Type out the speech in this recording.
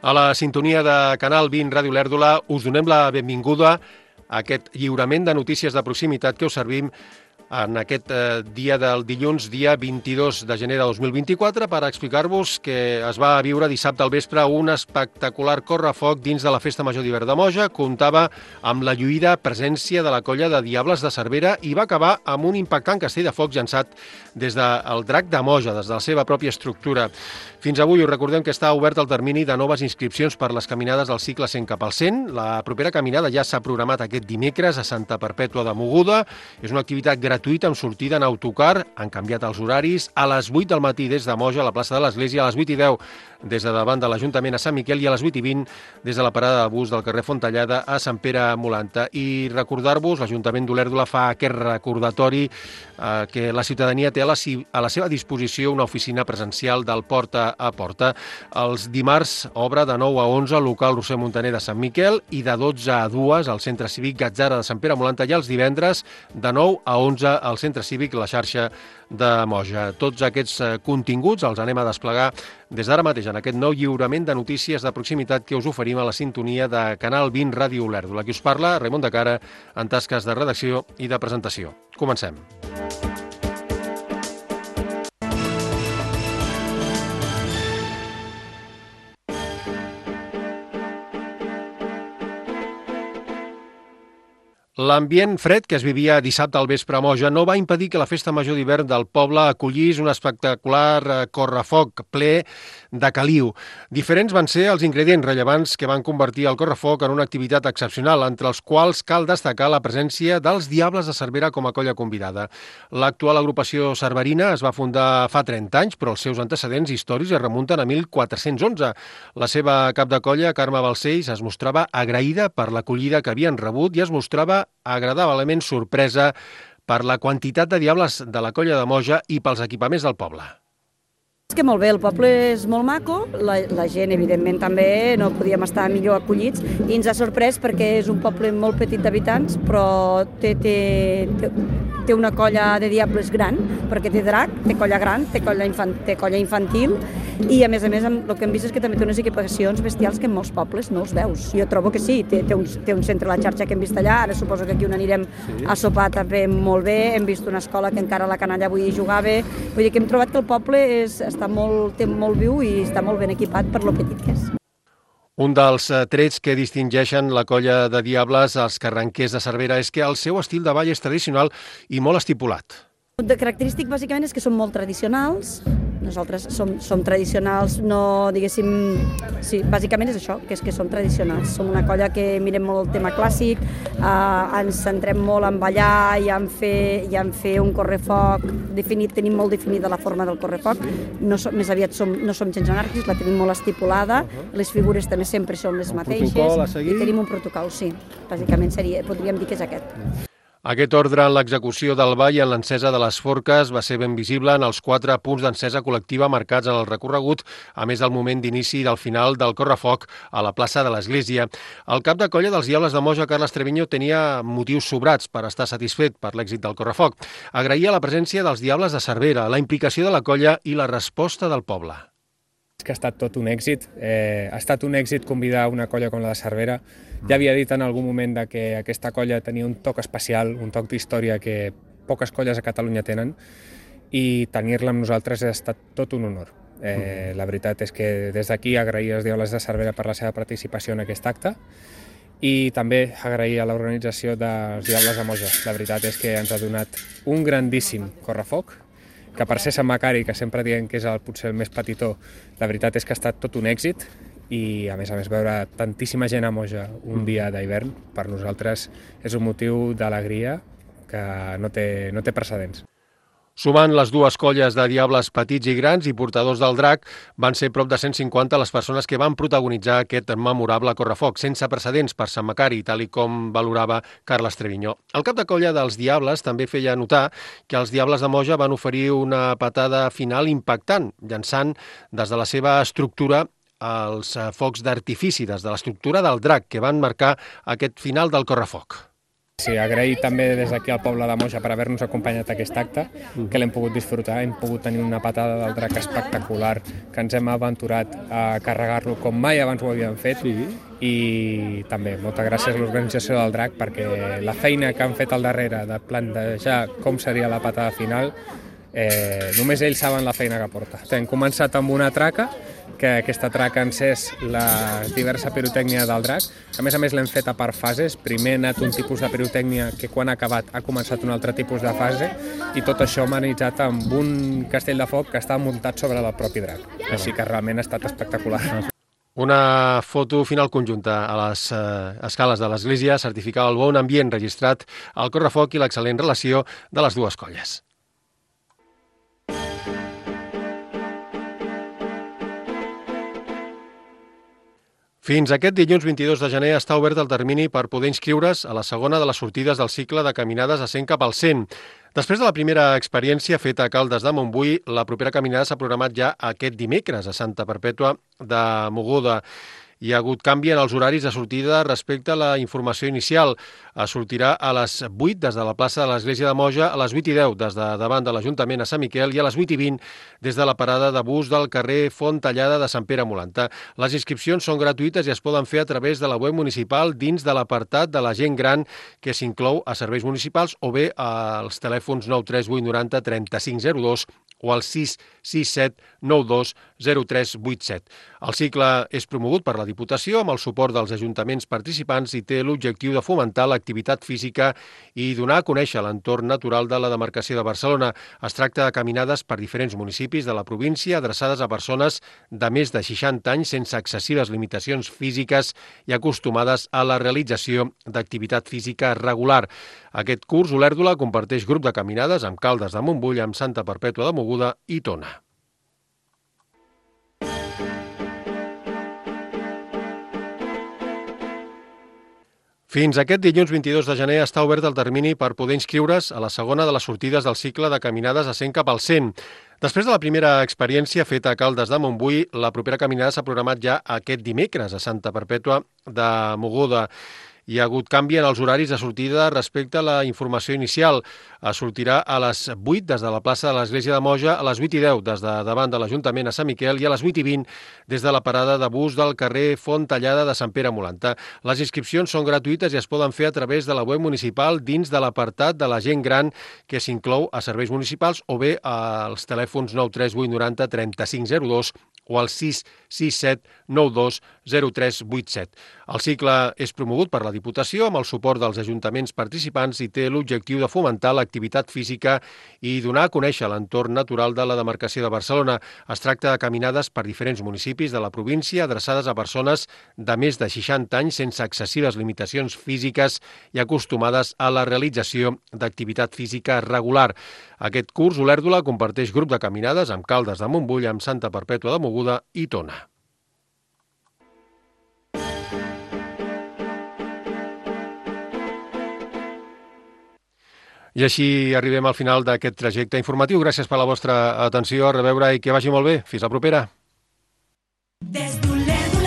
A la sintonia de Canal 20 Ràdio Lèrdula us donem la benvinguda a aquest lliurament de notícies de proximitat que us servim en aquest dia del dilluns, dia 22 de gener de 2024, per explicar-vos que es va viure dissabte al vespre un espectacular correfoc dins de la Festa Major d'Hivern de Moja. Comptava amb la lluïda presència de la colla de Diables de Cervera i va acabar amb un impactant castell de foc llançat des del Drac de Moja, des de la seva pròpia estructura. Fins avui us recordem que està obert el termini de noves inscripcions per les caminades del cicle 100 cap al 100. La propera caminada ja s'ha programat aquest dimecres a Santa Perpètua de Mogoda. És una activitat gratuïta amb sortida en autocar. Han canviat els horaris. A les 8 del matí des de Moja a la plaça de l'Església, a les 8:10 des de davant de l'Ajuntament a Sant Miquel i a les 8:20 des de la parada de bus del carrer Fontellada a Sant Pere Molanta. I recordar-vos, l'Ajuntament d'Olèrdola fa aquest recordatori que la ciutadania té a la seva disposició una oficina presencial del porta a porta. Els dimarts obre de 9 a 11 al local Roser Montaner de Sant Miquel i de 12 a 2 al centre cívic Gatzara de Sant Pere Molanta i els divendres de 9 a 11 al centre cívic La Xarxa de Moja. Tots aquests continguts els anem a desplegar des d'ara mateix en aquest nou lliurament de notícies de proximitat que us oferim a la sintonia de Canal 20 Ràdio Lèrdula. Qui us parla, Raimon de Cara, en tasques de redacció i de presentació. Comencem. L'ambient fred que es vivia dissabte al vespre a Moja no va impedir que la Festa Major d'Hivern del poble acollís un espectacular correfoc ple de caliu. Diferents van ser els ingredients rellevants que van convertir el correfoc en una activitat excepcional, entre els quals cal destacar la presència dels Diables de Cervera com a colla convidada. L'actual agrupació cerverina es va fundar fa 30 anys, però els seus antecedents històrics es remunten a 1411. La seva cap de colla, Carme Balcells, es mostrava agraïda per l'acollida que havien rebut i es mostrava agradablement sorpresa per la quantitat de diables de la colla de Moja i pels equipaments del poble. És que molt bé, el poble és molt maco, la gent evidentment també, no podíem estar millor acollits i ens ha sorprès perquè és un poble molt petit d'habitants però té una colla de diables gran, perquè té drac, té colla gran, té colla infantil i a més el que hem vist és que també té unes equipacions bestials que en molts pobles no els veus. Jo trobo que sí, té un centre a la xarxa que hem vist allà, ara suposo que aquí on anirem a sopar també molt bé, hem vist una escola que encara la canalla avui jugava, vull dir que hem trobat que el poble té molt viu i està molt ben equipat per lo petit que és. Un dels trets que distingeixen la colla de Diables, els carranquers de Cervera, és que el seu estil de ball és tradicional i molt estipulat. El característic bàsicament és que són molt tradicionals, nosaltres som tradicionals, no diguéssim, sí, bàsicament és això, que és que som tradicionals, som una colla que mirem molt el tema clàssic, ens centrem molt en ballar i en fer un correfoc definit, tenim molt definida la forma del correfoc, més aviat no som gens anàrquics, la tenim molt estipulada, les figures també sempre són les mateixes i tenim un protocol, sí, bàsicament podríem dir que és aquest. Aquest ordre en l'execució del ball i en l'encesa de les forques va ser ben visible en els 4 punts d'encesa col·lectiva marcats en el recorregut, a més del moment d'inici i del final del correfoc a la plaça de l'Església. El cap de colla dels Diables de Moja, Carles Treviño, tenia motius sobrats per estar satisfet per l'èxit del correfoc. Agraïa la presència dels Diables de Cervera, la implicació de la colla i la resposta del poble. Que ha estat tot un èxit. Ha estat un èxit convidar una colla com la de Cervera. Ja havia dit en algun moment que aquesta colla tenia un toc especial, un toc d'història que poques colles a Catalunya tenen i tenir-la amb nosaltres ha estat tot un honor. La veritat és que des d'aquí agrair als Diables de Cervera per la seva participació en aquest acte i també agrair a l'organització dels Diables de Moja. La veritat és que ens ha donat un grandíssim correfoc que per ser Sant Macari, que sempre diem que és potser el més petitó, la veritat és que ha estat tot un èxit i a més veure tantíssima gent a Moja un dia d'hivern per nosaltres és un motiu d'alegria que no té precedents. Sumant les dues colles de diables petits i grans i portadors del drac, van ser prop de 150 les persones que van protagonitzar aquest memorable correfoc, sense precedents per Sant Macari, tal com valorava Carles Treviño. El cap de colla dels Diables també feia notar que els Diables de Moja van oferir una patada final impactant, llançant des de la seva estructura els focs d'artifici, des de l'estructura del drac, que van marcar aquest final del correfoc. Sí, agrair també des d'aquí al poble de Moja per haver-nos acompanyat a aquest acte, que l'hem pogut disfrutar, hem pogut tenir una patada del drac espectacular, que ens hem aventurat a carregar-lo com mai abans ho havíem fet, i també moltes gràcies a l'organització del drac perquè la feina que han fet al darrere de plantejar com seria la patada final, només ells saben la feina que porta. Hem començat amb una traca, que aquesta traca encès la diversa pirotècnia del drac, que a més l'hem feta per fases. Primer ha anat un tipus de pirotècnia que quan ha acabat ha començat un altre tipus de fase, i tot això amenitzat amb un castell de foc que està muntat sobre el propi drac. Així que realment ha estat espectacular. Una foto final conjunta a les escales de l'església certificava el bon ambient registrat al correfoc i l'excel·lent relació de les dues colles. Fins aquest dilluns 22 de gener està obert el termini per poder inscriure's a la segona de les sortides del cicle de caminades a 100 cap al 100. Després de la primera experiència feta a Caldes de Montbui, la propera caminada s'ha programat ja aquest dimecres a Santa Perpètua de Mogoda. Hi ha hagut canvi en els horaris de sortida respecte a la informació inicial. Sortirà a les 8 des de la plaça de l'Església de Moja, a les 8:10 des de davant de l'Ajuntament a Sant Miquel i a les 8:20 des de la parada de bus del carrer Font Tallada de Sant Pere Molanta. Les inscripcions són gratuïtes i es poden fer a través de la web municipal dins de l'apartat de la gent gran que s'inclou a serveis municipals o bé als telèfons 938 90 3502 o al 667 92 0387. El cicle és promogut per la Diputació amb el suport dels ajuntaments participants i té l'objectiu de fomentar l'activitat física i donar a conèixer l'entorn natural de la demarcació de Barcelona. Es tracta de caminades per diferents municipis de la província adreçades a persones de més de 60 anys sense excessives limitacions físiques i acostumades a la realització d'activitat física regular. Aquest curs, Olèrdola comparteix grup de caminades amb Caldes de Montbui, amb Santa Perpètua de Mogoda i Tona. Fins aquest dilluns 22 de gener està obert el termini per poder inscriure's a la segona de les sortides del cicle de caminades a 100 cap al 100. Després de la primera experiència feta a Caldes de Montbui, la propera caminada s'ha programat ja aquest dimecres a Santa Perpètua de Mogoda. Hi ha hagut canvi en els horaris de sortida respecte a la informació inicial. Sortirà a les 8 des de la plaça de l'Església de Moja, a les 8:10 des de davant de l'Ajuntament a Sant Miquel i a les 8:20 des de la parada de bus del carrer Font Tallada de Sant Pere Molanta. Les inscripcions són gratuïtes i es poden fer a través de la web municipal dins de l'apartat de la gent gran que s'inclou a serveis municipals o bé als telèfons 938 90 3502 o al 667 92 0387. El cicle és promogut per la Diputació amb el suport dels ajuntaments participants i té l'objectiu de fomentar l'activitat física i donar a conèixer l'entorn natural de la demarcació de Barcelona. Es tracta de caminades per diferents municipis de la província adreçades a persones de més de 60 anys sense excessives limitacions físiques i acostumades a la realització d'activitat física regular. Aquest curs, Olèrdola comparteix grup de caminades amb Caldes de Montbui, amb Santa Perpètua de Mogoda i Tona. I així arribem al final d'aquest trajecte informatiu. Gràcies per la vostra atenció, a reveure i que vagi molt bé. Fins la propera. Des d'Olèrdola.